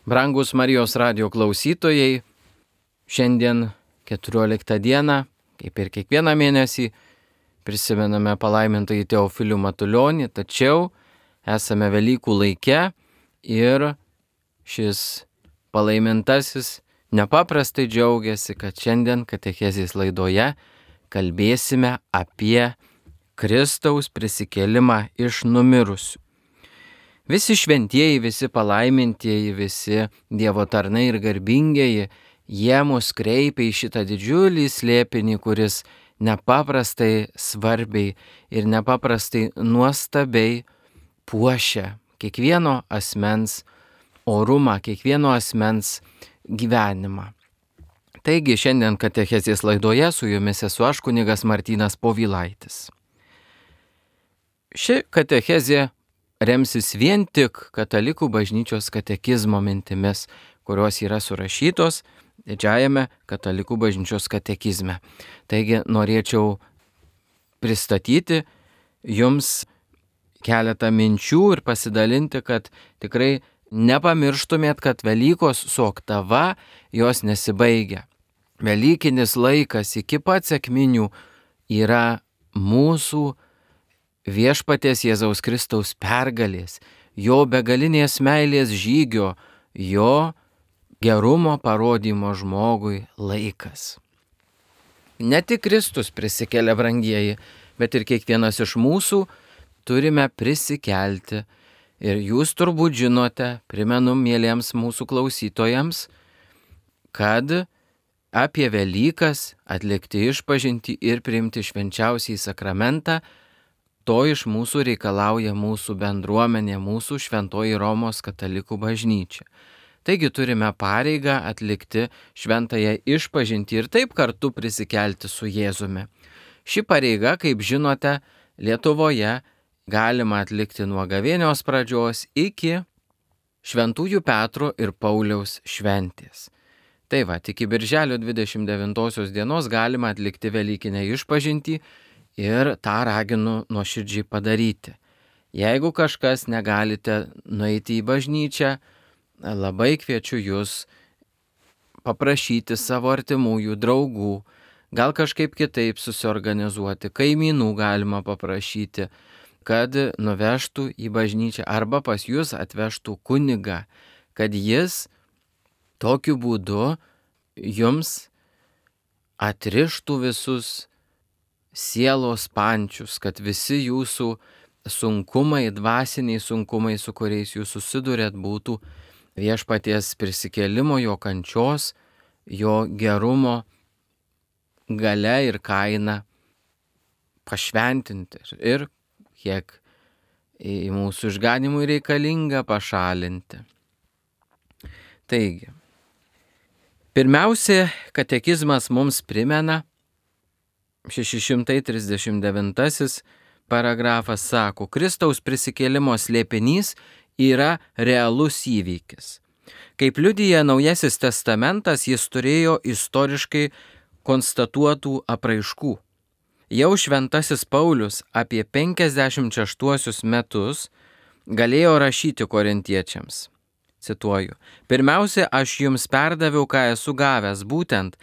Brangus Marijos radijo klausytojai, šiandien 14 dieną, kaip ir kiekvieną mėnesį, prisimename palaimintąjį Teofilių Matulionį, tačiau esame Velykų laike ir šis palaimintasis nepaprastai džiaugiasi, kad šiandien katechezės laidoje kalbėsime apie Kristaus prisikėlimą iš numirusių. Visi šventieji, visi palaimintieji, visi Dievo tarnai ir garbingieji, jie mus kreipia į šitą didžiulį slėpinį, kuris nepaprastai svarbiai ir nepaprastai nuostabiai puošia kiekvieno asmens orumą, kiekvieno asmens gyvenimą. Taigi šiandien katechezės laidoje su jumis esu aš, kunigas Martynas Povilaitis. Ši katechezė remsis vien tik Katalikų bažnyčios katekizmo mintimis, kurios yra surašytos Didžiajame Katalikų bažnyčios katekizme. Taigi norėčiau pristatyti jums keletą minčių ir pasidalinti, kad tikrai nepamirštumėt, kad Velykos su oktava jos nesibaigia. Velykinis laikas iki pat sekminių yra mūsų Viešpaties Jėzaus Kristaus pergalės, jo begalinės meilės žygio, jo gerumo parodymo žmogui laikas. Ne tik Kristus prisikėlė, brangieji, bet ir kiekvienas iš mūsų turime prisikelti. Ir jūs turbūt žinote, primenu mieliems mūsų klausytojams, kad apie Velykas atlikti išpažintį ir priimti švenčiausiąjį sakramentą, to iš mūsų reikalauja mūsų bendruomenė, mūsų šventoji Romos katalikų bažnyčia. Taigi turime pareigą atlikti šventąją išpažintį ir taip kartu prisikelti su Jėzumi. Ši pareiga, kaip žinote, Lietuvoje galima atlikti nuo gavėnios pradžios iki Šventųjų Petro ir Pauliaus šventės. Tai va, iki birželio 29 dienos galima atlikti Velykinę išpažintį, ir tą raginu nuoširdžiai padaryti. Jeigu kažkas negalite nueiti į bažnyčią, labai kviečiu jūs paprašyti savo artimųjų draugų, gal kažkaip kitaip susiorganizuoti, kaimynų galima paprašyti, kad nuvežtų į bažnyčią arba pas jūs atvežtų kunigą, kad jis tokiu būdu jums atrištų visus sielos pančius, kad visi jūsų sunkumai, dvasiniai sunkumai, su kuriais jūs susidurėt, būtų Viešpaties prisikėlimo, jo kančios, jo gerumo galia ir kaina pašventinti ir kiek į mūsų išganimui reikalinga pašalinti. Taigi, pirmiausia, katekizmas mums primena, 639 paragrafas sako, Kristaus prisikėlimo slėpinys yra realus įvykis. Kaip liudija Naujasis testamentas, jis turėjo istoriškai konstatuotų apraiškų. Jau šventasis Paulius apie 56 metus galėjo rašyti korintiečiams. Cituoju, pirmiausia, aš jums perdaviau, ką esu gavęs, būtent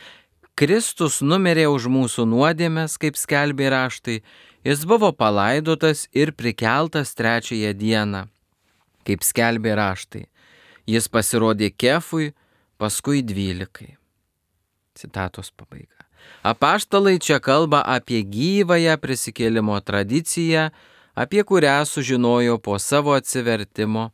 Kristus numirė už mūsų nuodėmes, kaip skelbė raštai, jis buvo palaidotas ir prikeltas 3 dieną, kaip skelbė raštai. Jis pasirodė Kefui, paskui 12. Citatos pabaiga. Apaštalai čia kalba apie gyvąją prisikėlimo tradiciją, apie kurią sužinojo po savo atsivertimo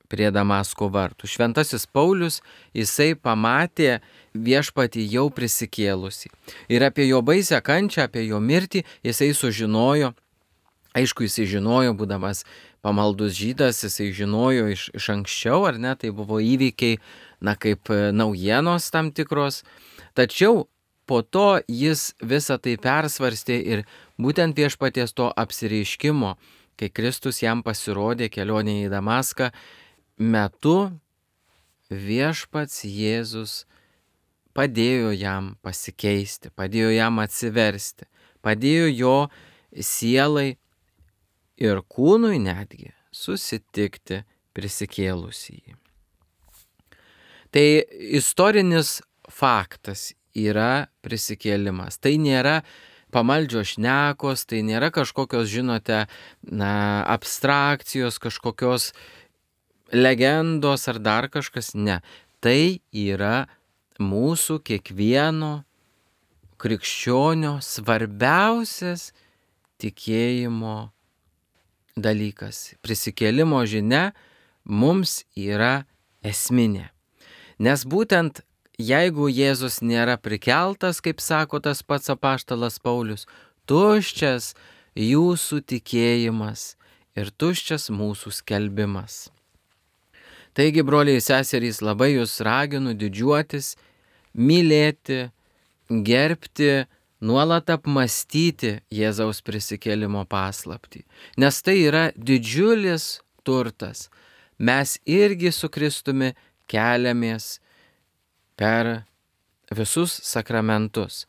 prie Damasko vartų. Šventasis Paulius, jisai pamatė Viešpatį jau prisikėlusį. Ir apie jo baisią kančią, apie jo mirtį jisai sužinojo. Aišku, jisai žinojo, būdamas pamaldus žydas, jisai žinojo iš anksčiau, ar ne, tai buvo įvykiai, kaip naujienos tam tikros. Tačiau po to jis visą tai persvarstė ir būtent Viešpaties to apsireiškimo, kai Kristus jam pasirodė kelionėje į Damaską, metu Viešpats Jėzus padėjo jam pasikeisti, padėjo jam atsiversti, padėjo jo sielai ir kūnui netgi susitikti prisikėlusįjį. Tai istorinis faktas yra prisikėlimas. Tai nėra pamaldžios šnekos, tai nėra kažkokios, žinote, abstrakcijos, kažkokios legendos ar dar kažkas. Ne. Tai yra mūsų kiekvieno krikščionio svarbiausias tikėjimo dalykas. Prisikėlimo žinia mums yra esminė. Nes būtent jeigu Jėzus nėra prikeltas, kaip sako tas pats apaštalas Paulius, tuščias jūsų tikėjimas ir tuščias mūsų skelbimas. Taigi, broliai ir seserys, labai jūs raginu didžiuotis, mylėti, gerbti, nuolat apmąstyti Jėzaus prisikėlimo paslaptį. Nes tai yra didžiulis turtas. Mes irgi su Kristumi keliamės per visus sakramentus.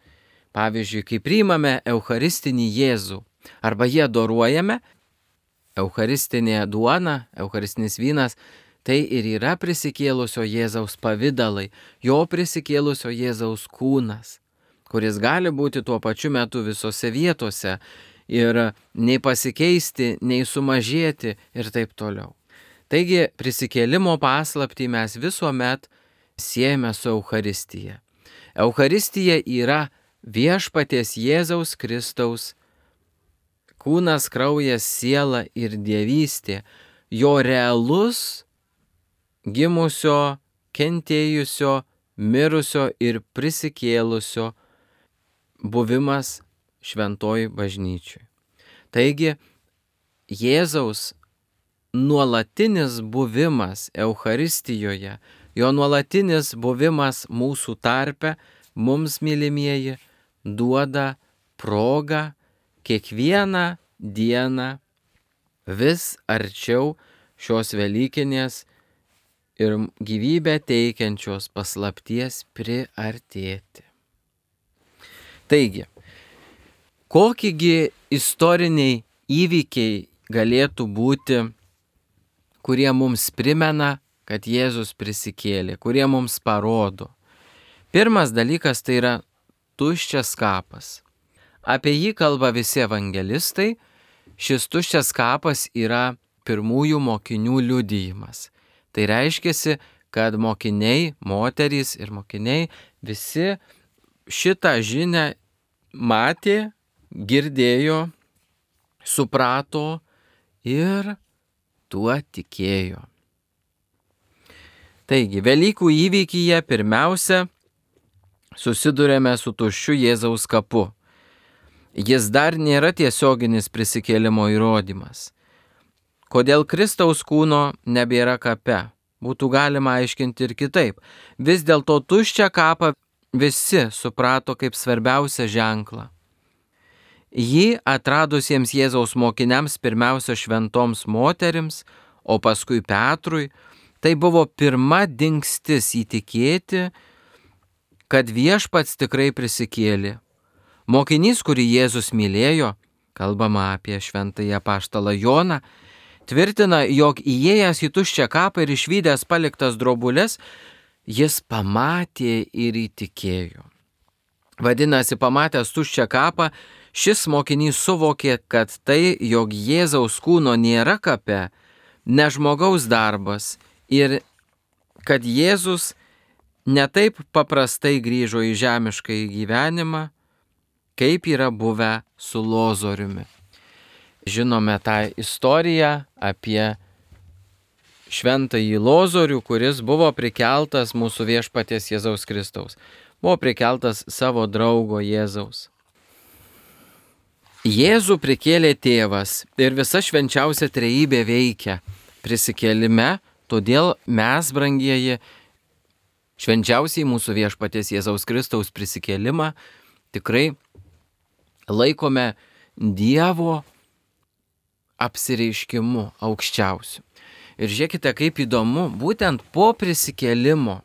Pavyzdžiui, kai priimame eucharistinį Jėzų arba jį adoruojame, eucharistinė duona, eucharistinis vynas, tai ir yra prisikėlusio Jėzaus pavidalai, jo prisikėlusio Jėzaus kūnas, kuris gali būti tuo pačiu metu visose vietose ir nei pasikeisti, nei sumažėti ir taip toliau. Taigi prisikėlimo paslaptį mes visuomet siejame su Eucharistija. Eucharistija yra viešpaties Jėzaus Kristaus kūnas, kraujas, siela ir dievystė, jo realus gimusio, kentėjusio, mirusio ir prisikėlusio buvimas šventoj bažnyčioj. Taigi Jėzaus nuolatinis buvimas Eucharistijoje, jo nuolatinis buvimas mūsų tarpe, mums, mylimieji, duoda progą kiekvieną dieną vis arčiau šios velykinės ir gyvybę teikiančios paslapties priartėti. Taigi, kokigi istoriniai įvykiai galėtų būti, kurie mums primena, kad Jėzus prisikėlė, kurie mums parodo? Pirmas dalykas tai yra tuščias kapas. Apie jį kalba visi evangelistai. Šis tuščias kapas yra pirmųjų mokinių liudijimas. Tai reiškia, kad mokiniai, moterys ir mokiniai visi šitą žinią matė, girdėjo, suprato ir tuo tikėjo. Taigi, Velykų įvykyje pirmiausia susidurėme su tuščiu Jėzaus kapu. Jis dar nėra tiesioginis prisikėlimo įrodymas. Kodėl Kristaus kūno nebėra kape? Būtų galima aiškinti ir kitaip. Vis dėlto tuščią kapą visi suprato kaip svarbiausią ženklą. Jį atradusiems Jėzaus mokiniams, pirmiausia šventoms moterims, o paskui Petrui, tai buvo pirma dingstis įtikėti, kad viešpats tikrai prisikėlė. Mokinys, kurį Jėzus mylėjo, kalbama apie šventąjį apaštalą Joną, tvirtina, jog įėjęs į tuščią kapą ir išvydęs paliktas drobules, jis pamatė ir įtikėjo. Vadinasi, pamatęs tuščią kapą, šis mokinys suvokė, kad tai, jog Jėzaus kūno nėra kape, ne žmogaus darbas ir kad Jėzus ne taip paprastai grįžo į žemiškąjį gyvenimą, kaip yra buvę su Lozoriumi. Žinome tą istoriją apie šventąjį Lozorių, kuris buvo prikeltas mūsų viešpaties Jėzaus Kristaus. Buvo prikeltas savo draugo Jėzaus. Jėzų prikėlė tėvas ir visa švenčiausia trejybė veikia prisikėlime, todėl mes, brangieji, švenčiausiai mūsų viešpaties Jėzaus Kristaus prisikėlimą tikrai laikome Dievo apsireiškimu aukščiausiu. Ir žiūrėkite, kaip įdomu, būtent po prisikėlimo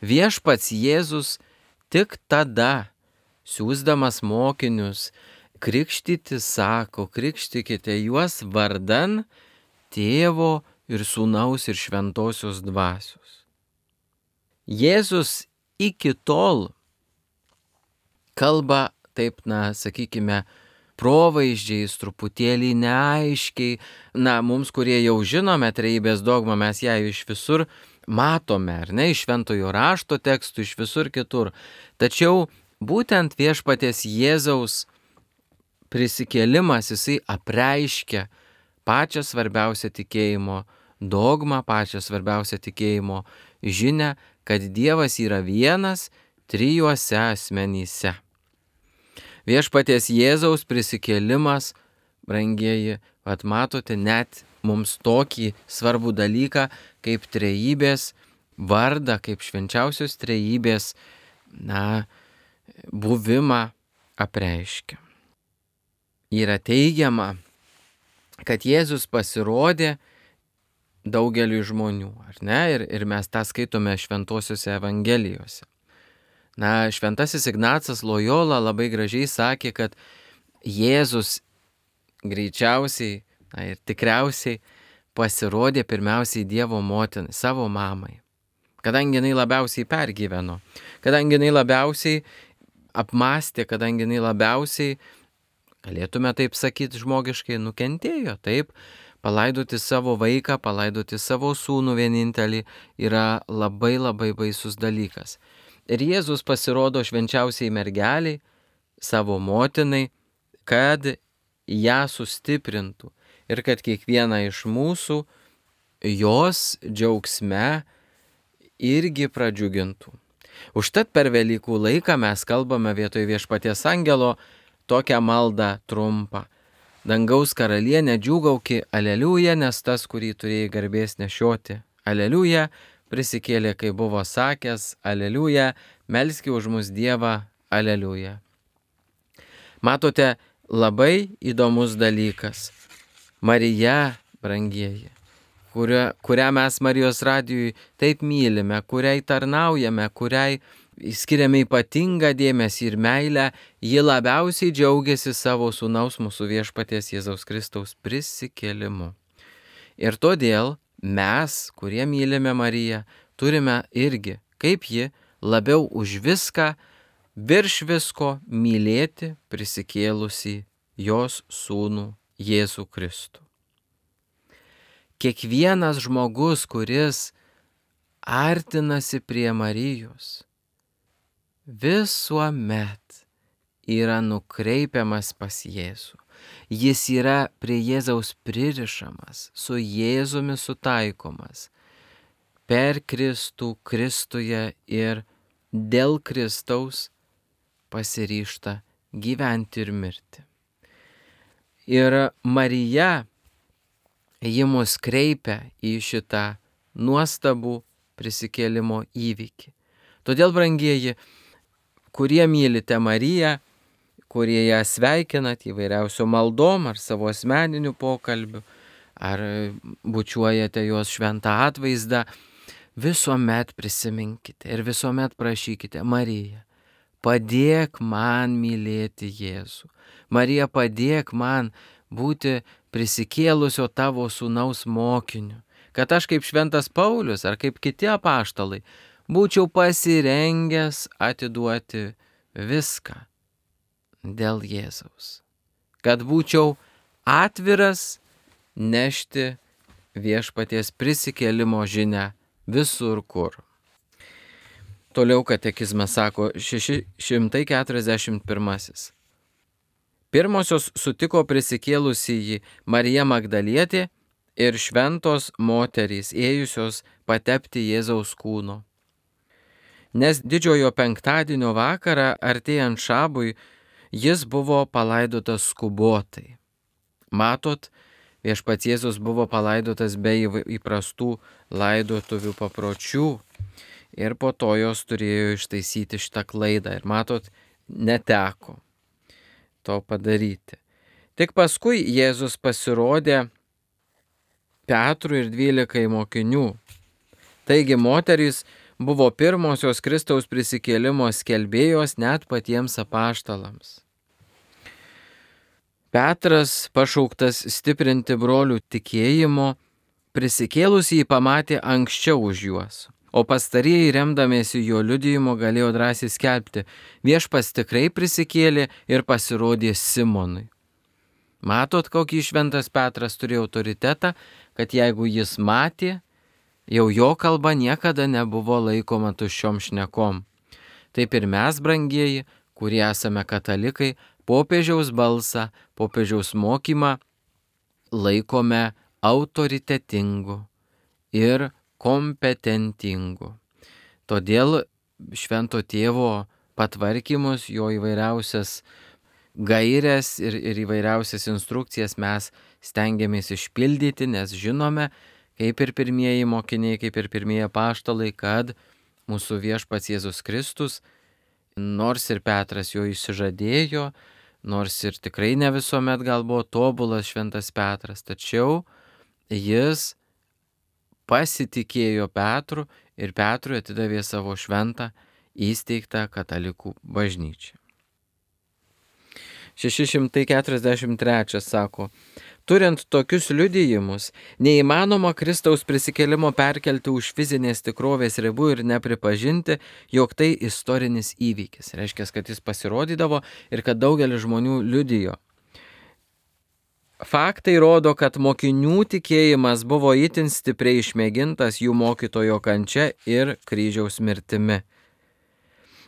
viešpats Jėzus tik tada, siųsdamas mokinius krikštyti, sako, krikštykite juos vardan Tėvo ir Sūnaus ir Šventosios Dvasios. Jėzus iki tol kalba taip, sakykime, provaizdžiais, truputėlį neaiškiai. Mums, kurie jau žinome trejybės dogmą, mes ją iš visur matome, ar ne, iš šventojo rašto tekstų, iš visur kitur. Tačiau būtent viešpaties Jėzaus prisikėlimas, jisai apreiškia pačią svarbiausią tikėjimo dogmą, pačią svarbiausią tikėjimo žinią, kad Dievas yra vienas trijuose asmenyse. Viešpaties Jėzaus prisikėlimas, brangieji, matote, net mums tokį svarbų dalyką kaip trejybės vardą, kaip švenčiausios trejybės, buvimą apreiškia. Yra teigiama, kad Jėzus pasirodė daugeliui žmonių, ar ne? Ir mes tą skaitome šventosiuose evangelijose. Šventasis Ignacas Lojola labai gražiai sakė, kad Jėzus greičiausiai ir tikriausiai pasirodė pirmiausiai Dievo motinai, savo mamai, kadangi jinai labiausiai pergyveno, kadangi jinai labiausiai apmastė, kadangi jinai labiausiai, galėtume taip sakyti žmogiškai, nukentėjo, taip, palaidoti savo vaiką, palaidoti savo sūnų vienintelį yra labai labai baisus dalykas. Ir Jėzus pasirodo švenčiausiai mergeliai, savo motinai, kad ją sustiprintų ir kad kiekvieną iš mūsų jos džiaugsme irgi pradžiugintų. Užtat per Velykų laiką mes kalbame vietoj viešpaties angelo tokią maldą trumpą. Dangaus karalienė, džiūgauki, aleliuja, nes tas, kurį turėjai garbės nešioti. Aleliuja, prisikėlė, kai buvo sakęs, aleliuja, melski už mus Dievą, aleliuja. Matote, labai įdomus dalykas. Marija, brangieji, kurią mes Marijos radijui taip mylime, kuriai tarnaujame, kuriai skiriame ypatingą dėmesį ir meilę, ji labiausiai džiaugiasi savo sūnaus mūsų viešpaties Jėzaus Kristaus prisikėlimu. Ir todėl mes, kurie mylime Mariją, turime irgi, kaip ji, labiau už viską, virš visko mylėti prisikėlusi jos sūnų Jėzų Kristų. Kiekvienas žmogus, kuris artinasi prie Marijos, visuomet yra nukreipiamas pas Jėzų. Jis yra prie Jėzaus pririšamas, su Jėzumi sutaikomas, per Kristų, Kristuje ir dėl Kristaus pasiryžta gyventi ir mirti. Ir Marija, ji mus kreipia į šitą nuostabų prisikėlimo įvykį. Todėl, brangieji, kurie mylite Mariją, kurie ją sveikinat įvairiausių maldom ar savo asmeninių pokalbių, ar bučiuojate jos šventą atvaizdą, visuomet prisiminkite ir visuomet prašykite: Marija, padėk man mylėti Jėzų. Marija, padėk man būti prisikėlusio tavo sūnaus mokiniu, kad aš kaip šventas Paulius ar kaip kiti apaštalai būčiau pasirengęs atiduoti viską dėl Jėzaus, kad būčiau atviras nešti viešpaties prisikėlimo žinią visur kur. Toliau katekizmas sako 641. Pirmosios sutiko prisikėlusįjį Marija Magdalietė ir šventos moterys ėjusios patepti Jėzaus kūno. Nes didžiojo penktadienio vakarą artėjant šabui jis buvo palaidotas skubotai. Matot, viešpats Jėzus buvo palaidotas be įprastų laidotuvių papročių ir po to jos turėjo ištaisyti šitą klaidą. Ir matot, neteko to padaryti. Tik paskui Jėzus pasirodė Petrui ir 12 mokinių. Taigi moterys buvo pirmosios Kristaus prisikėlimo skelbėjos net patiems apaštalams. Petras, pašauktas stiprinti brolių tikėjimo, prisikėlusį jį pamatė anksčiau už juos. O pastarieji, remdamiesi jo liudijimu, galėjo drąsiai skelbti: viešpats tikrai prisikėlė ir pasirodė Simonui. Matot, kokį šventas Petras turėjo autoritetą, kad jeigu jis matė, jau jo kalba niekada nebuvo laikoma tuščiom šnekom. Taip ir mes, brangieji, kurie esame katalikai, popiežiaus balsą, popiežiaus mokymą laikome autoritetingu ir kompetentingu. Todėl švento tėvo patvarkymus, jo įvairiausias gairias ir įvairiausias instrukcijas mes stengiamės išpildyti, nes žinome, kaip ir pirmieji mokiniai, kaip ir pirmieji apaštalai, kad mūsų viešpats Jėzus Kristus, nors ir Petras jo išsižadėjo, nors ir tikrai ne visuomet gal buvo tobulas šventas Petras, tačiau jis pasitikėjo Petru ir Petrui atidavė savo šventą įsteigtą katalikų bažnyčią. 643 sako: turint tokius liudijimus, neįmanoma Kristaus prisikėlimo perkelti už fizinės tikrovės ribų ir nepripažinti, jog tai istorinis įvykis. Reiškia, kad jis pasirodydavo ir kad daugelis žmonių liudijo. Faktai rodo, kad mokinių tikėjimas buvo itin stipriai išmėgintas jų mokytojo kančia ir kryžiaus mirtimi.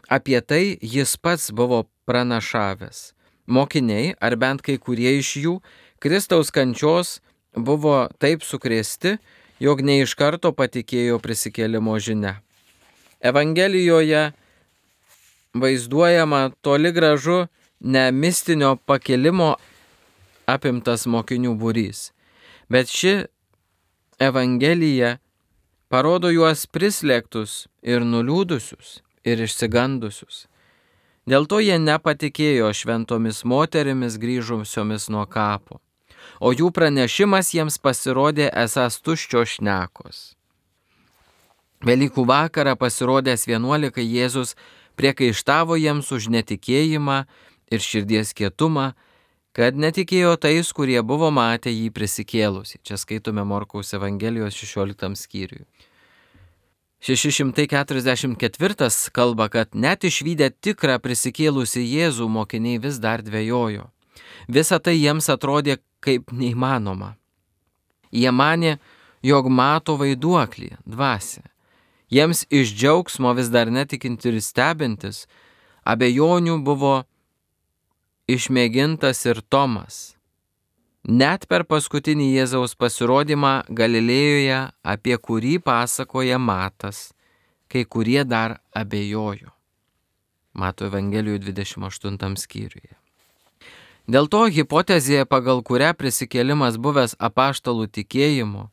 Apie tai jis pats buvo pranašavęs. Mokiniai, ar bent kai kurie iš jų, Kristaus kančios buvo taip sukrėsti, jog ne iš karto patikėjo prisikėlimo žinia. Evangelijoje vaizduojama toli gražu ne mistinio pakilimo apimtas mokinių būrys, bet ši Evangelija parodo juos prislėgtus ir nuliūdusius ir išsigandusius. Dėl to jie nepatikėjo šventomis moterimis grįžusiomis nuo kapo, o jų pranešimas jiems pasirodė esąs tuščios šnekos. Velykų vakarą pasirodęs 11 Jėzus priekaištavo jiems už netikėjimą ir širdies kietumą, kad netikėjo tais, kurie buvo matę jį prisikėlusį. Čia skaitome Morkaus Evangelijos 16 skyriui. 644 kalba, kad net išvydę tikrą prisikėlusį Jėzų mokiniai vis dar dvejojo. Visa tai jiems atrodė kaip neįmanoma. Jie manė, jog mato vaiduoklį, dvasią. Jiems iš džiaugsmo vis dar netikinti ir stebintis, abejonių buvo išmėgintas ir Tomas. Net per paskutinį Jėzaus pasirodymą Galilėjoje, apie kurį pasakoja Matas, kai kurie dar abejojo. Mato Evangelijų 28 skyriuje. Dėl to hipotezė, pagal kurią prisikėlimas buvęs apaštalų tikėjimu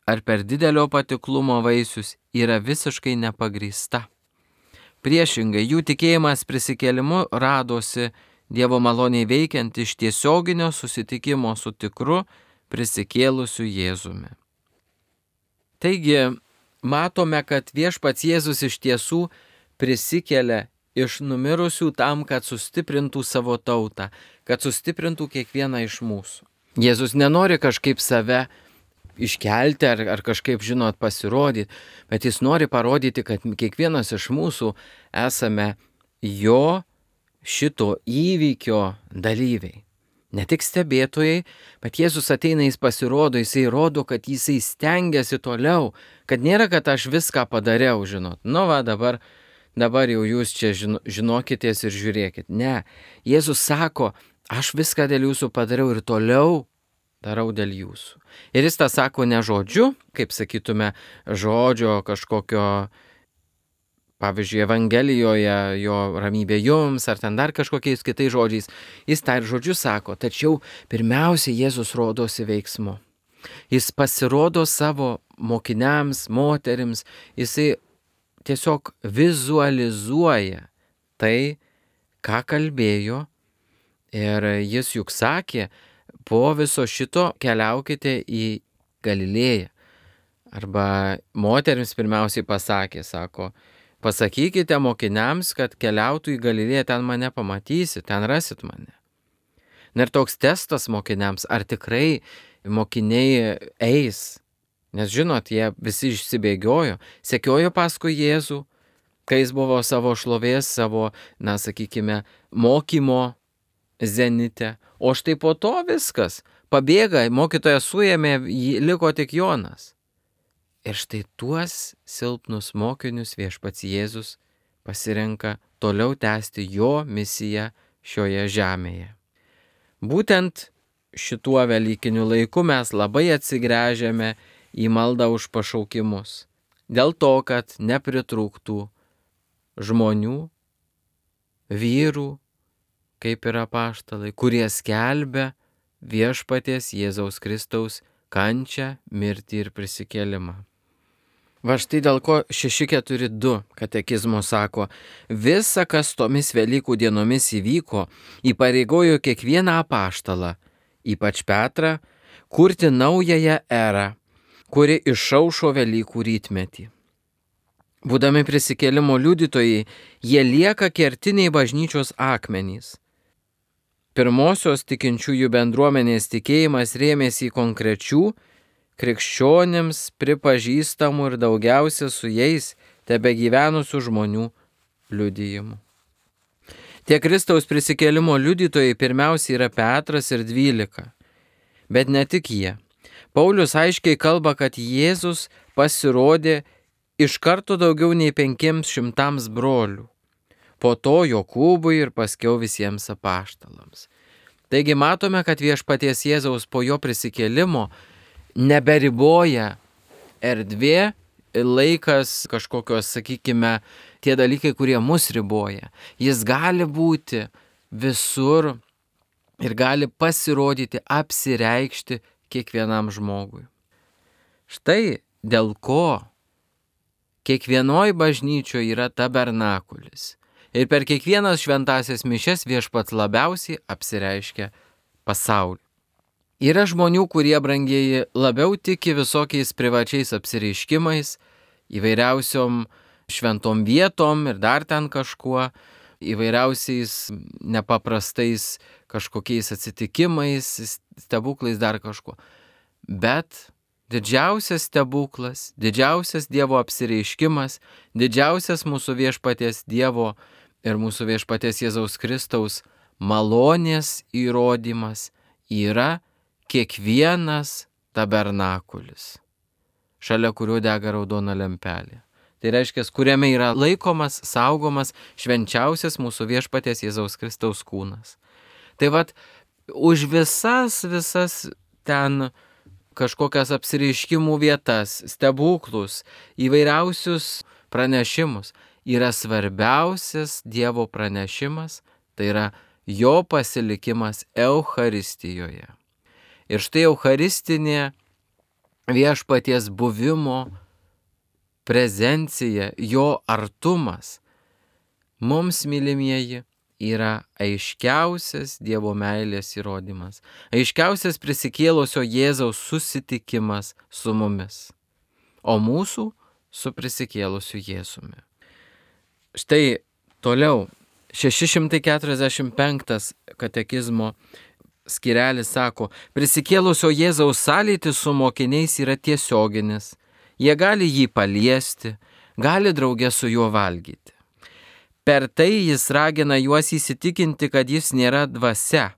ar per didelio patiklumo vaisius, yra visiškai nepagrįsta. Priešingai, jų tikėjimas prisikėlimu radosi Dievo maloniai veikiant iš tiesioginio susitikimo su tikru prisikėlusiu Jėzumi. Taigi, matome, kad viešpats Jėzus iš tiesų prisikelia iš numirusių tam, kad sustiprintų savo tautą, kad sustiprintų kiekvieną iš mūsų. Jėzus nenori kažkaip save iškelti ar kažkaip, pasirodyti, bet jis nori parodyti, kad kiekvienas iš mūsų esame jo šito įvykio dalyviai. Ne tik stebėtojai, bet Jėzus ateina, jis pasirodo, jisai rodo, kad jisai stengiasi toliau, kad nėra, kad aš viską padariau, dabar jau jūs čia žinokitės ir žiūrėkit. Ne, Jėzus sako, aš viską dėl jūsų padariau ir toliau darau dėl jūsų. Ir jis tą sako ne žodžiu, kaip sakytume, žodžio kažkokio, pavyzdžiui, Evangelijoje jo ramybė jums, ar ten dar kažkokiais kitais žodžiais. Jis tą ir žodžiu sako, tačiau pirmiausia Jėzus rodosi veiksmu. Jis pasirodo savo mokiniams, moterims, jisai tiesiog vizualizuoja tai, ką kalbėjo, ir jis juk sakė, po viso šito keliaukite į Galilėją. Arba moterims pirmiausiai pasakė, sako, pasakykite mokiniams, kad keliautų į Galilėją, ten mane pamatysit, ten rasit mane. Ir toks testas mokiniams, ar tikrai mokiniai eis, Nes žinot, jie visi išsibėgiojo, sekiojo paskui Jėzų, kai jis buvo savo šlovės, savo, sakykime, mokymo zenite. O štai po to viskas. Pabėga, mokytojas suėmė, liko tik Jonas. Ir štai tuos silpnus mokinius viešpats Jėzus pasirenka toliau tęsti jo misiją šioje žemėje. Būtent šituo velykiniu laiku mes labai atsigręžiame į maldą už pašaukimus. Dėl to, kad nepritrūktų žmonių, vyrų, kaip ir apaštalai, kurie skelbia viešpaties Jėzaus Kristaus kančią, mirtį ir prisikėlimą. Va štai dėl ko 642 katekizmo sako, visa, kas tomis Velykų dienomis įvyko, įpareigojo kiekvieną apaštalą, ypač Petrą, kurti naująją erą, kuri išaušo Velykų rytmetį. Būdami prisikėlimo liudytojai, jie lieka kertiniai bažnyčios akmenys. Pirmosios tikinčiųjų bendruomenės tikėjimas rėmėsi į konkrečių, krikščionims pripažįstamų ir daugiausia su jais tebegyvenusių žmonių liudijimų. Tie Kristaus prisikėlimo liudytojai pirmiausia yra Petras ir 12, bet ne tik jie. Paulius aiškiai kalba, kad Jėzus pasirodė iš karto daugiau nei 500 brolių, po to Jokūbui ir paskiau visiems apaštalams. Taigi matome, kad viešpaties Jėzaus po jo prisikėlimo neberiboja erdvė, laikas, kažkokios, sakykime, tie dalykai, kurie mus riboja. Jis gali būti visur ir gali pasirodyti, apsireikšti kiekvienam žmogui. Štai dėl ko kiekvienoj bažnyčioje yra tabernakulis. Ir per kiekvienas šventasias mišias viešpats labiausiai apsireiškia pasauliu. Yra žmonių, kurie, brangieji, labiau tiki visokiais privačiais apsireiškimais, įvairiausiom šventom vietom ir dar ten kažkuo, įvairiausiais nepaprastais kažkokiais atsitikimais, stebuklais, dar kažkuo. Bet didžiausias stebuklas, didžiausias Dievo apsireiškimas, didžiausias mūsų viešpaties Dievo ir mūsų viešpaties Jėzaus Kristaus malonės įrodymas yra kiekvienas tabernakulis, šalia kurio dega raudona lempelė. Tai reiškia, kuriame yra laikomas, saugomas švenčiausias mūsų viešpaties Jėzaus Kristaus kūnas. Tai vat, už visas ten kažkokias apsireiškimų vietas, stebuklus, įvairiausius pranešimus yra svarbiausias Dievo pranešimas, tai yra jo pasilikimas Eucharistijoje. Ir štai eucharistinė viešpaties buvimo prezencija, jo artumas, mums, mylimieji, yra aiškiausias Dievo meilės įrodymas, aiškiausias prisikėlusio Jėzaus susitikimas su mumis, o mūsų su prisikėlusiu Jėzumi. Štai toliau 645 katekizmo skirelis sako, prisikėlusio Jėzaus sąlytis su mokiniais yra tiesioginis. Jie gali jį paliesti, gali drauge su juo valgyti. Per tai jis ragina juos įsitikinti, kad jis nėra dvasia,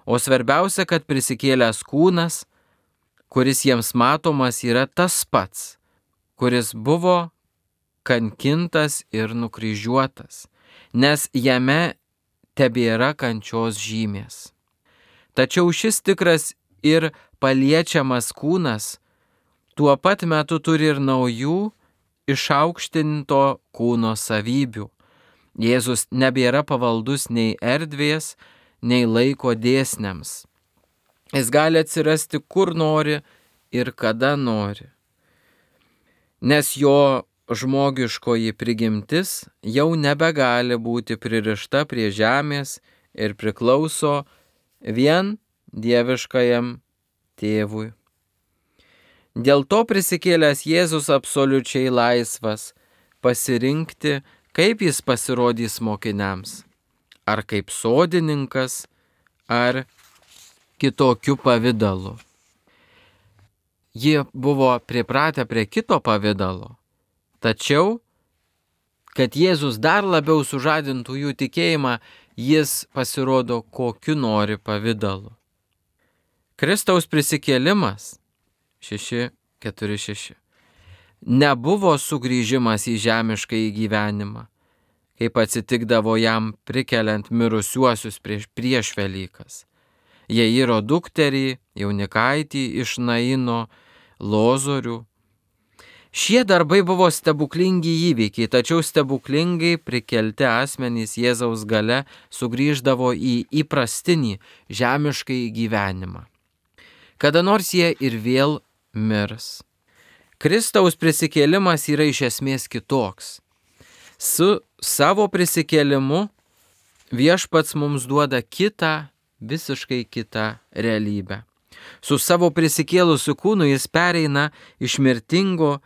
o svarbiausia, kad prisikėlęs kūnas, kuris jiems matomas, yra tas pats, kuris buvo kankintas ir nukryžiuotas, nes jame tebėra kančios žymės. Tačiau šis tikras ir paliečiamas kūnas tuo pat metu turi ir naujų išaukštinto kūno savybių. Jėzus nebėra pavaldus nei erdvės, nei laiko dėsniams. Jis gali atsirasti kur nori ir kada nori. Nes jo žmogiškoji prigimtis jau nebegali būti pririšta prie žemės ir priklauso vien dieviškajam tėvui. Dėl to prisikėlęs Jėzus absoliučiai laisvas pasirinkti, kaip jis pasirodys mokiniams, ar kaip sodininkas, ar kitokiu pavidalu. jie buvo pripratę prie kito pavidalo. Tačiau, kad Jėzus dar labiau sužadintų jų tikėjimą, jis pasirodo kokiu nori pavidalu. Kristaus prisikėlimas 6:4-6 nebuvo sugrįžimas į žemišką gyvenimą, kaip atsitikdavo jam prikeliant mirusiuosius prieš Velykas. Jairo dukterį, jaunikaitį iš Naino, Lozorių. Šie darbai buvo stebuklingi įvykiai, tačiau stebuklingai prikelti asmenys Jėzaus gale sugrįždavo į įprastinį žemiškai gyvenimą. Kada nors jie ir vėl mirs. Kristaus prisikėlimas yra iš esmės kitoks. Su savo prisikėlimu Viešpats mums duoda visiškai kitą realybę. Su savo prisikėlusiu kūnu jis pereina iš mirtingo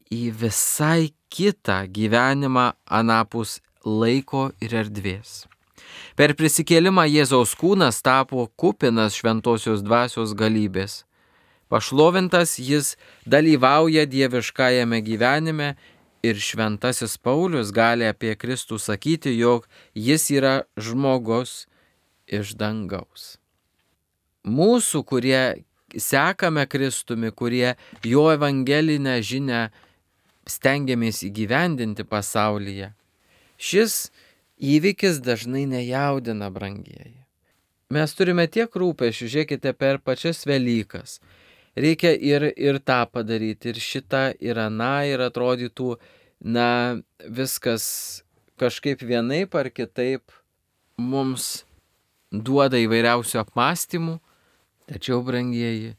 į visai kitą gyvenimą anapus laiko ir erdvės. Per prisikėlimą Jėzaus kūnas tapo kupinas šventosios dvasios galybės. Pašlovintas jis dalyvauja dieviškajame gyvenime ir šventasis Paulius gali apie Kristų sakyti, jog jis yra žmogus iš dangaus. Mūsų, kurie sekame Kristumi, kurie jo evangelinę žinią stengiamės įgyvendinti pasaulyje, šis įvykis dažnai nejaudina, brangieji. Mes turime tiek rūpesčių, žiūrėkite, per pačias Velykas. Reikia ir tą padaryti, ir šitą, ir aną, ir atrodytų, viskas kažkaip vienaip ar kitaip mums duoda įvairiausių apmąstymų, tačiau, brangieji,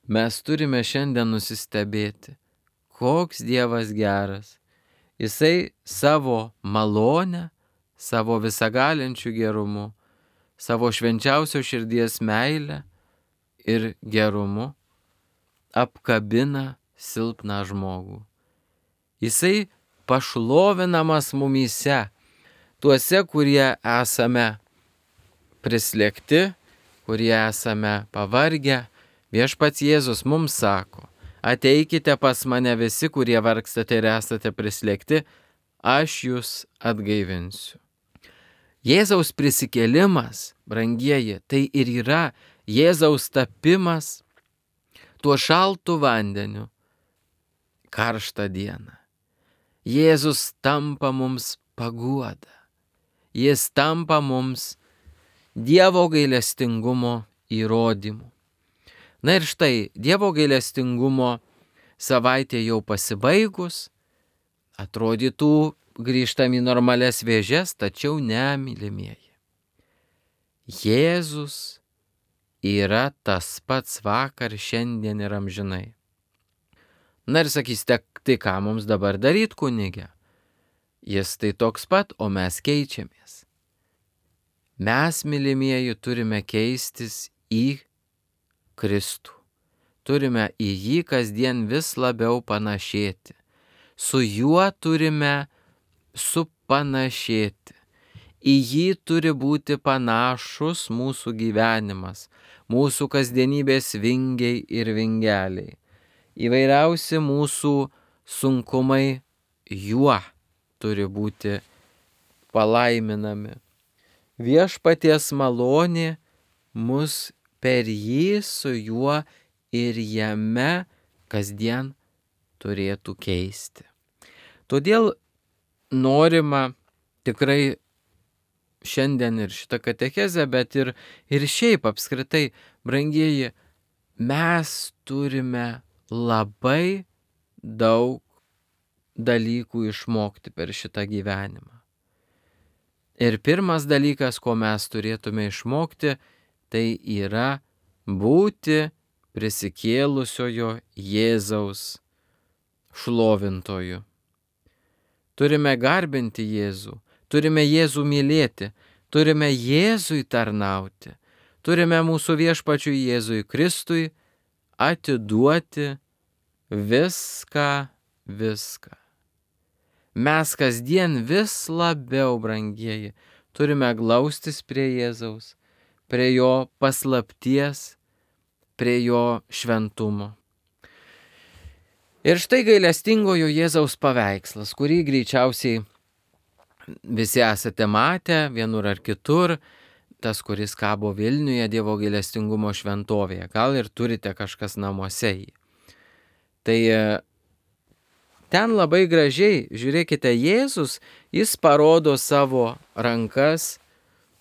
mes turime šiandien nusistebėti, koks Dievas geras. Jisai savo malonę, savo visagalinčių gerumu, savo švenčiausio širdies meilę ir gerumu apkabina silpną žmogų. Jisai pašlovinamas mumyse, tuose, kurie esame prislėgti, kurie esame pavargę. Viešpats Jėzus mums sako: ateikite pas mane visi, kurie vargstate ir esate prislėgti, aš jūs atgaivinsiu. Jėzaus prisikėlimas, brangieji, tai ir yra Jėzaus tapimas tuo šaltu vandeniu karštą dieną. Jėzus tampa mums paguoda. Jis tampa mums Dievo gailestingumo įrodymu. Na ir štai, Dievo gailestingumo savaitė jau pasibaigus, atrodytų grįžtam į normalias vėžes, tačiau ne, mylimieji. Jėzus yra tas pats vakar, šiandien ir amžinai. Na ir sakysite, tai ką mums dabar daryti, kunige? Jis tai toks pat, o mes keičiamės. Mes, mylimieji, turime keistis į Kristų. Turime į jį kasdien vis labiau panašėti. Su juo turime supanašėti. Į jį turi būti panašus mūsų gyvenimas, mūsų kasdienybės vingiai ir vingeliai. Įvairiausi mūsų sunkumai juo turi būti palaiminami. Viešpaties malonė mus per jį, su juo ir jame kasdien turėtų keisti. Todėl norima tikrai šiandien ir šitą katechezę, bet ir šiaip apskritai, brangieji, mes turime labai daug dalykų išmokti per šitą gyvenimą. Ir pirmas dalykas, ko mes turėtume išmokti, tai yra būti prisikėlusiojo Jėzaus šlovintoju. Turime garbinti Jėzų, turime Jėzų mylėti, turime Jėzui tarnauti, turime mūsų viešpačiui Jėzui Kristui atiduoti viską. Mes kasdien vis labiau, brangieji, turime glaustis prie Jėzaus, prie jo paslapties, prie jo šventumo. Ir štai gailestingojo Jėzaus paveikslas, kurį greičiausiai visi esate matę vienur ar kitur, tas, kuris kabo Vilniuje Dievo gailestingumo šventovėje. Gal ir turite kažkas namuose jį. Tai ten labai gražiai, žiūrėkite, Jėzus, jis parodo savo rankas,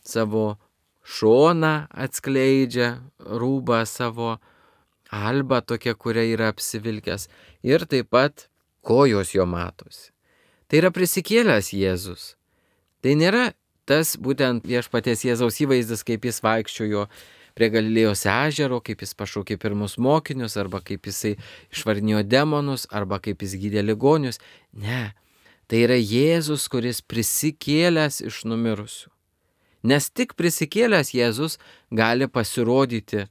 savo šoną atskleidžia, rūbą savo, albą tokia, kuria yra apsivilkęs. Ir taip pat kojos jo matosi. Tai yra prisikėlęs Jėzus. Tai nėra tas būtent viešpaties Jėzaus įvaizdis, kaip jis vaikščiojo prie Galilėjos ežero, kaip jis pašaukė pirmus mokinius, arba kaip jisai išvarinėjo demonus, arba kaip jis gydė ligonius. Ne, tai yra Jėzus, kuris prisikėlęs iš numirusių. Nes tik prisikėlęs Jėzus gali pasirodyti,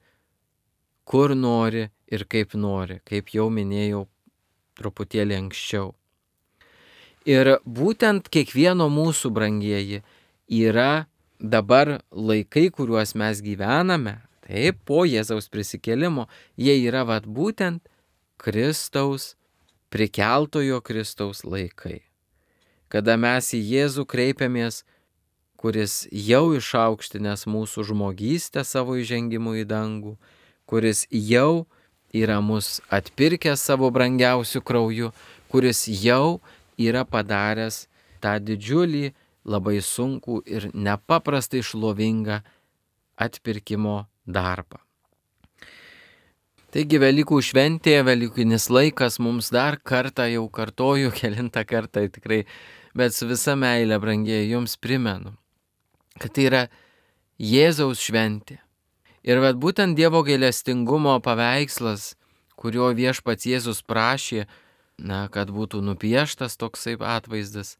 kur nori ir kaip nori, kaip jau minėjau truputėlį anksčiau. Ir būtent kiekvieno mūsų, brangieji, yra dabar laikai, kuriuos mes gyvename, taip, po Jėzaus prisikėlimo, jie yra būtent Kristaus, prikeltojo Kristaus laikai. Kada mes į Jėzų kreipiamės, kuris jau išaukštinęs mūsų žmogystę savo įžengimu į dangų, kuris jau yra mus atpirkęs savo brangiausių krauju, kuris jau yra padaręs tą didžiulį, labai sunkų ir nepaprastai šlovingą atpirkimo darbą. Taigi Velykų šventė, Velykinis laikas mums dar kartą, jau kartoju, kelintą kartą tikrai, bet su visa meile, brangieji, jums primenu, kad tai yra Jėzaus šventė. Ir būtent Dievo gailestingumo paveikslas, kurio viešpats Jėzus prašė, kad būtų nupieštas toksai atvaizdas,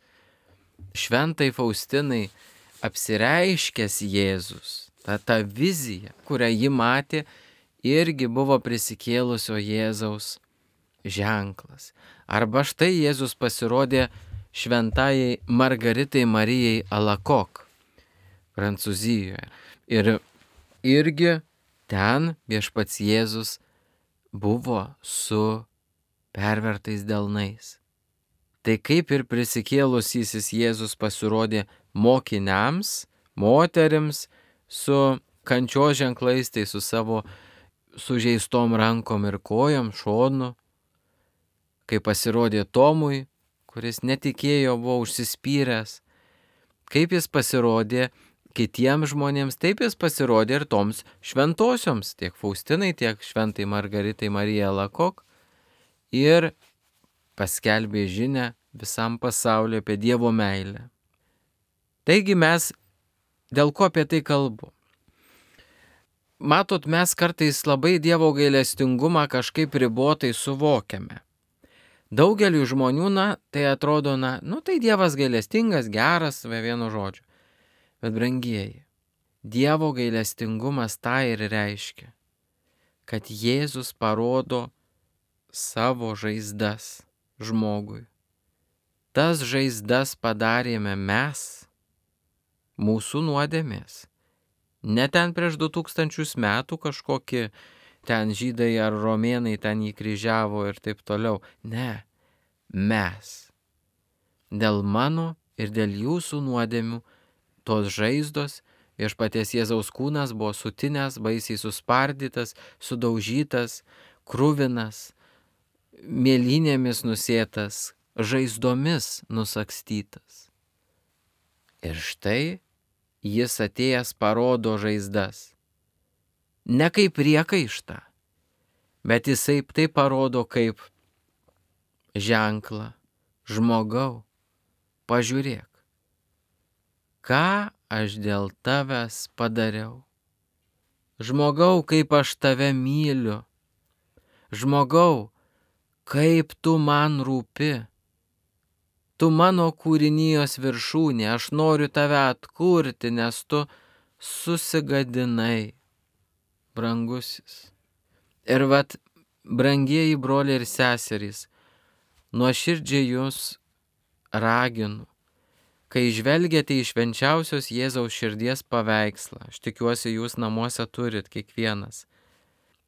šventai Faustinai apsireiškęs Jėzus, ta vizija, kurią ji matė, irgi buvo prisikėlusio Jėzaus ženklas. Arba štai Jėzus pasirodė šventajai Margaritai Marijai Alakok, Prancūzijoje. Ir irgi ten viešpats Jėzus buvo su pervertais delnais. Tai kaip ir prisikėlusysis Jėzus pasirodė mokiniams, moterims su kančios ženklais, tai su savo sužeistom rankom ir kojom, šonu, kai pasirodė Tomui, kuris netikėjo, buvo užsispyręs, kaip jis pasirodė kitiems žmonėms, taip jis pasirodė ir toms šventosioms, tiek Faustinai, tiek šventai Margaritai Marijai Alakok, ir paskelbė žinią visam pasauliu apie Dievo meilę. Taigi mes, dėl ko apie tai kalbu? Matot, mes kartais labai Dievo gailestingumą kažkaip ribotai suvokiame. Daugeliu žmonių, tai atrodo, tai Dievas gailestingas, geras, vienu žodžiu. Bet brangieji, Dievo gailestingumas tą ir reiškia, kad Jėzus parodo savo žaizdas žmogui. Tas žaizdas padarėme mes, mūsų nuodėmės. Ne ten prieš 2000 metų kažkokie ten žydai ar romėnai ten jį kryžiavo ir taip toliau. Ne, mes. Dėl mano ir dėl jūsų nuodėmių tos žaizdos, viešpaties Jėzaus kūnas buvo sutinęs, baisiai suspardytas, sudaužytas, kruvinas, mėlynėmis nusėtas, žaizdomis nusakstytas. Ir štai jis atėjęs parodo žaizdas. Ne kaip priekaištą, bet jisai tai parodo kaip ženklą. Žmogau, pažiūrėk, ką aš dėl tavęs padariau. Žmogau, kaip aš tave myliu. Žmogau, kaip tu man rūpi. Tu mano kūrinijos viršūnė, aš noriu tave atkurti, nes tu susigadinai, brangusis. Ir brangieji broliai ir seserys, nuoširdžiai jūs raginu, kai žvelgiate į švenčiausios Jėzaus širdies paveikslą, aš tikiuosi jūs namuose turit kiekvienas,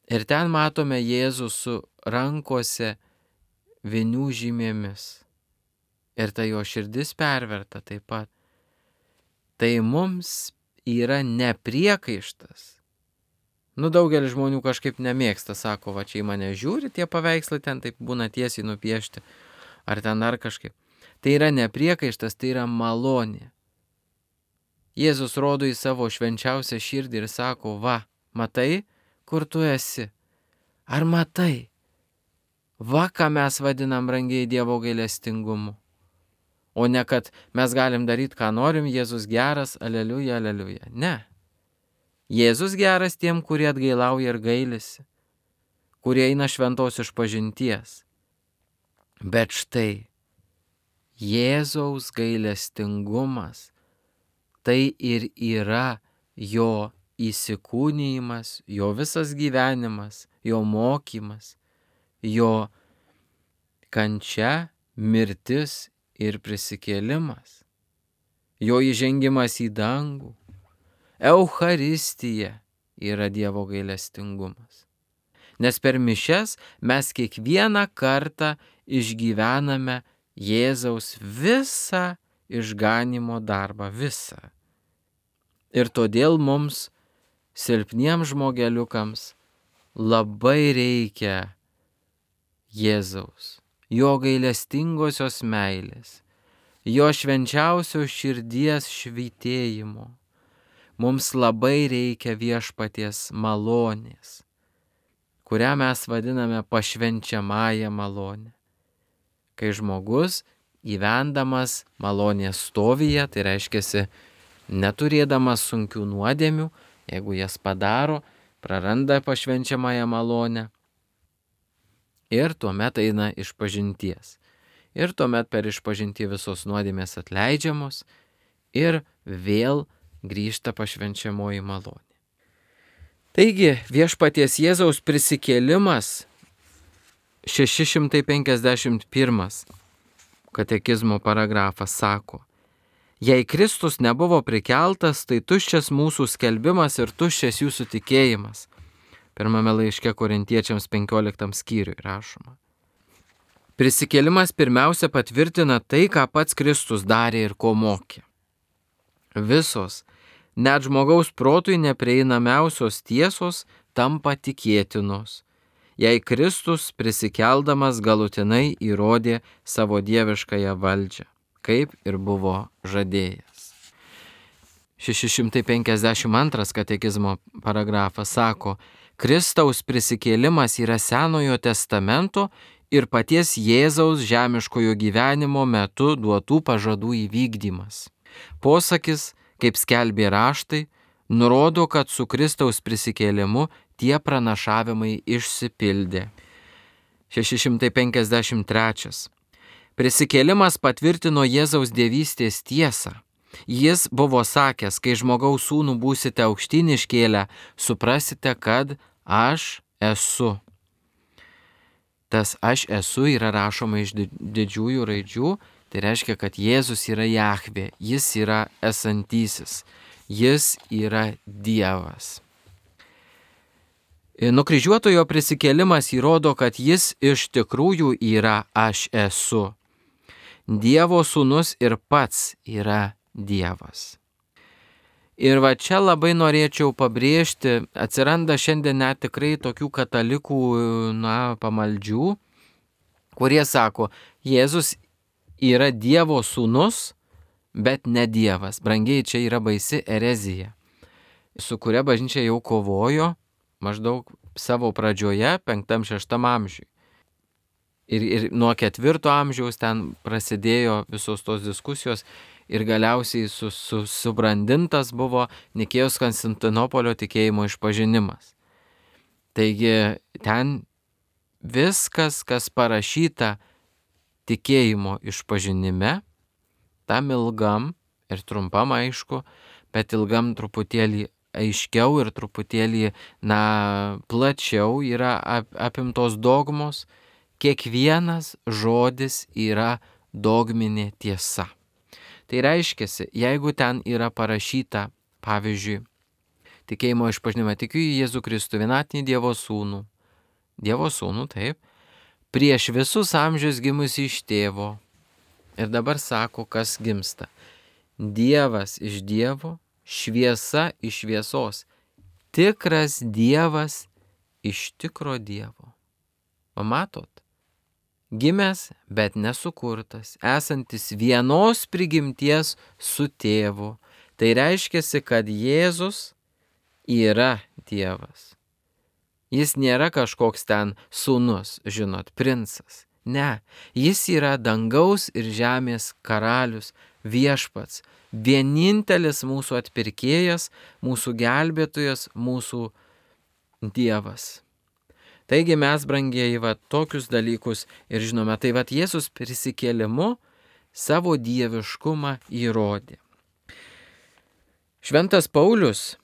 ir ten matome Jėzų su rankose vinių žymėmis. Ir ta jo širdis perverta taip pat. Tai mums yra ne priekaištas. Daugelis žmonių kažkaip nemėgsta, sako, va čia į mane žiūri, tie paveikslai ten taip būna tiesiai nupiešti, ar ten dar kažkaip. Tai yra ne priekaištas, tai yra malonė. Jėzus rodo į savo švenčiausią širdį ir sako, va, matai, kur tu esi? Ar matai? Va, ką mes vadinam brangiai Dievo gailestingumu. O ne, kad mes galim daryti, ką norim, Jėzus geras, aleliuja, aleliuja. Ne. Jėzus geras tiem, kurie atgailauja ir gailisi, kurie eina šventos išpažinties. Bet štai, Jėzaus gailestingumas tai ir yra jo įsikūnijimas, jo visas gyvenimas, jo mokymas, jo kančia, mirtis ir prisikėlimas, jo įžengimas į dangų. Eucharistija yra Dievo gailestingumas. Nes per mišias mes kiekvieną kartą išgyvename Jėzaus visą išganymo darbą, visą. Ir todėl mums, silpniems žmogeliukams, labai reikia Jėzaus, jo gailestingosios meilės, jo švenčiausios širdies švytėjimo. Mums labai reikia viešpaties malonės, kurią mes vadiname pašvenčiamąją malonę. Kai žmogus gyvendamas malonės stovyje, tai reiškia neturėdamas sunkių nuodėmių, jeigu jas padaro, praranda pašvenčiamąją malonę ir tuomet eina išpažinties. Ir tuomet per išpažintį visos nuodėmės atleidžiamos ir vėl grįžta pašvenčiamoji malonė. Taigi viešpaties Jėzaus prisikėlimas 651 katekizmo paragrafas sako, jei Kristus nebuvo prikeltas, tai tuščias mūsų skelbimas ir tuščias jūsų tikėjimas. Pirmame laiške Korintiečiams 15 skyriui rašoma. Prisikėlimas pirmiausia patvirtina tai, ką pats Kristus darė ir ko mokė. Visos, net žmogaus protui neprieinamiausios tiesos tampa tikėtinos, jei Kristus prisikeldamas galutinai įrodė savo dieviškąją valdžią, kaip ir buvo žadėjęs. 652 katekizmo paragrafas sako, Kristaus prisikėlimas yra Senojo testamento ir paties Jėzaus žemiškojo gyvenimo metu duotų pažadų įvykdymas. Posakis, kaip skelbė raštai, nurodo, kad su Kristaus prisikėlimu tie pranašavimai išsipildė. 653. Prisikėlimas patvirtino Jėzaus dievystės tiesą. Jis buvo sakęs, kai žmogaus sūnų būsite aukštyn iškėlę, suprasite, kad aš esu. Tas aš esu yra rašoma iš didžiųjų raidžių, tai reiškia, kad Jėzus yra Jahvė, jis yra esantysis, jis yra Dievas. Nukryžiuotojo prisikėlimas įrodo, kad jis iš tikrųjų yra aš esu. Dievo sūnus ir pats yra Dievas. Ir va čia labai norėčiau pabrėžti, atsiranda šiandien net tikrai tokių katalikų, pamaldžių, kurie sako, Jėzus yra Dievo sūnus, bet ne Dievas. Brangiai, čia yra baisi erezija, su kuria bažnyčia jau kovojo maždaug savo pradžioje 5-6 amžiui. Ir nuo 4 amžiaus ten prasidėjo visos tos diskusijos ir galiausiai subrandintas buvo Nikėjos Konstantinopolio tikėjimo išpažinimas. Taigi ten viskas, kas parašyta tikėjimo išpažinime, tam ilgam ir trumpam aišku, bet ilgam truputėlį aiškiau ir truputėlį, plačiau yra apimtos dogmos. Kiekvienas žodis yra dogminė tiesa. Tai reiškia, jeigu ten yra parašyta, pavyzdžiui, tikėjimo išpažinime tikiu į Jėzų Kristų, vienatinį Dievo sūnų, taip, prieš visus amžius gimusi iš tėvo. Ir dabar sako, kas gimsta. Dievas iš Dievo, šviesa iš šviesos. Tikras Dievas iš tikro Dievo. Pamatot? Gimęs, bet nesukurtas, esantis vienos prigimties su tėvu. Tai reiškia, kad Jėzus yra Dievas. Jis nėra kažkoks ten sūnus, žinot, princas. Ne, jis yra dangaus ir žemės karalius, viešpats, vienintelis mūsų atpirkėjas, mūsų gelbėtojas, mūsų Dievas. Taigi mes, brangieji, tokius dalykus ir žinome, tai Jėzus prisikėlimu savo dieviškumą įrodė. Šventas Paulius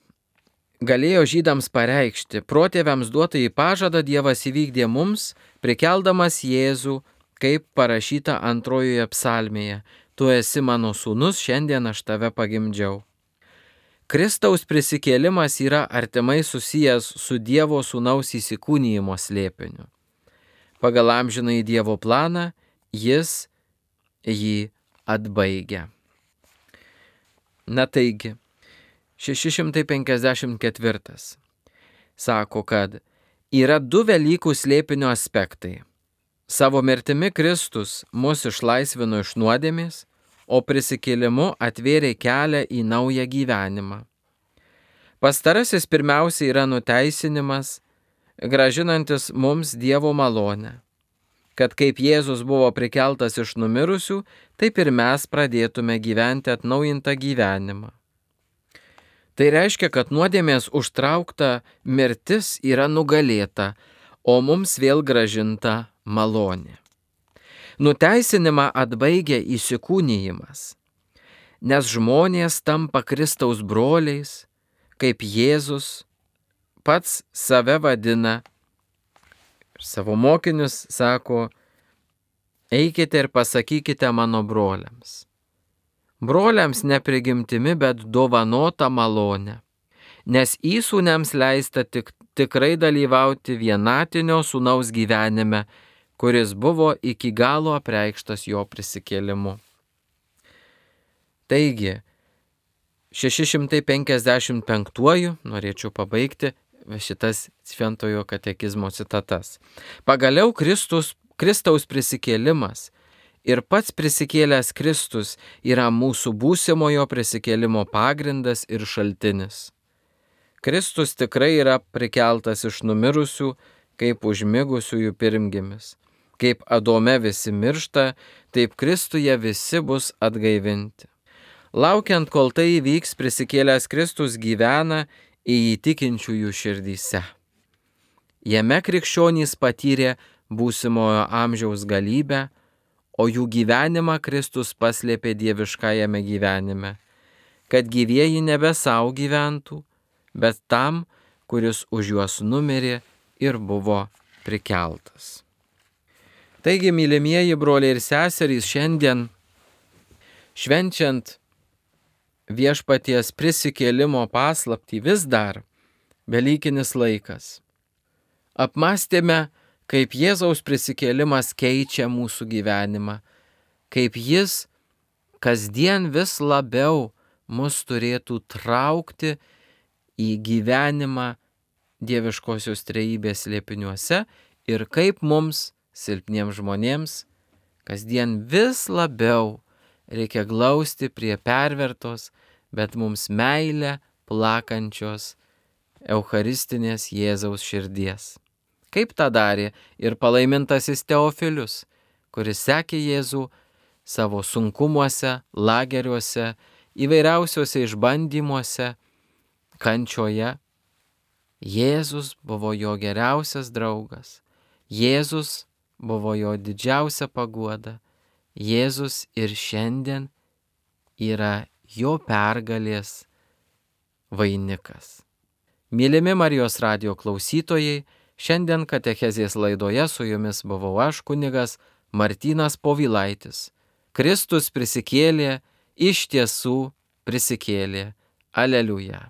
galėjo žydams pareikšti, protėviams duotą į pažadą Dievas įvykdė mums, prikeldamas Jėzų, kaip parašyta antrojoje psalmėje, tu esi mano sūnus, šiandien aš tave pagimdžiau. Kristaus prisikėlimas yra artimai susijęs su Dievo sūnaus įsikūnijimo slėpiniu. Pagal amžinąjį Dievo planą jis jį atbaigia. Na taigi, 654 sako, kad yra du Velykų slėpinio aspektai. Savo mirtimi Kristus mus išlaisvino iš nuodėmės, o prisikėlimu atvėrė kelią į naują gyvenimą. Pastarasis pirmiausia yra nuteisinimas, grąžinantis mums Dievo malonę, kad kaip Jėzus buvo prikeltas iš numirusių, taip ir mes pradėtume gyventi atnaujintą gyvenimą. Tai reiškia, kad nuodėmės užtraukta mirtis yra nugalėta, o mums vėl grąžinta malonė. Nuteisinimą atbaigia įsikūnijimas, nes žmonės tampa Kristaus broliais, kaip Jėzus pats save vadina ir savo mokinius sako, eikite ir pasakykite mano broliams. Broliams ne prigimtimi, bet dovanota malonė, nes įsūniams leista tikrai dalyvauti vienatinio sūnaus gyvenime, kuris buvo iki galo apreikštas jo prisikėlimu. Taigi, 655 norėčiau pabaigti šitas Šventojo katekizmo citatas. Pagaliau Kristaus prisikėlimas ir pats prisikėlęs Kristus yra mūsų būsimojo prisikėlimo pagrindas ir šaltinis. Kristus tikrai yra prikeltas iš numirusių, kaip užmigusiųjų pirmgimis. Kaip Adome visi miršta, taip Kristuje visi bus atgaivinti. Laukiant, kol tai įvyks, prisikėlęs Kristus gyvena į tikinčiųjų širdyse. Jame krikščionys patyrė būsimojo amžiaus galybę, o jų gyvenimą Kristus paslėpė dieviškajame gyvenime, kad gyvieji nebe savo gyventų, bet tam, kuris už juos numirė ir buvo prikeltas. Taigi, mylimieji broliai ir seserys, šiandien švenčiant viešpaties prisikėlimo paslaptį vis dar velykinis laikas. Apmąstėme, kaip Jėzaus prisikėlimas keičia mūsų gyvenimą, kaip jis kasdien vis labiau mus turėtų traukti į gyvenimą dieviškosios trejybės slėpiniuose ir kaip mums, silpniems žmonėms, kasdien vis labiau reikia glausti prie pervertos, bet mums meilę plakančios eucharistinės Jėzaus širdies. Kaip tą darė ir palaimintasis Teofilius, kuris sekė Jėzų savo sunkumuose, lageriuose, įvairiausiuose išbandymuose, kančioje. Jėzus buvo jo geriausias draugas. Jėzus buvo jo didžiausia paguoda. Jėzus ir šiandien yra jo pergalės vainikas. Mylimi Marijos radijo klausytojai, šiandien katechezės laidoje su jumis buvau aš, kunigas Martynas Povilaitis. Kristus prisikėlė, iš tiesų prisikėlė. Aleliuja.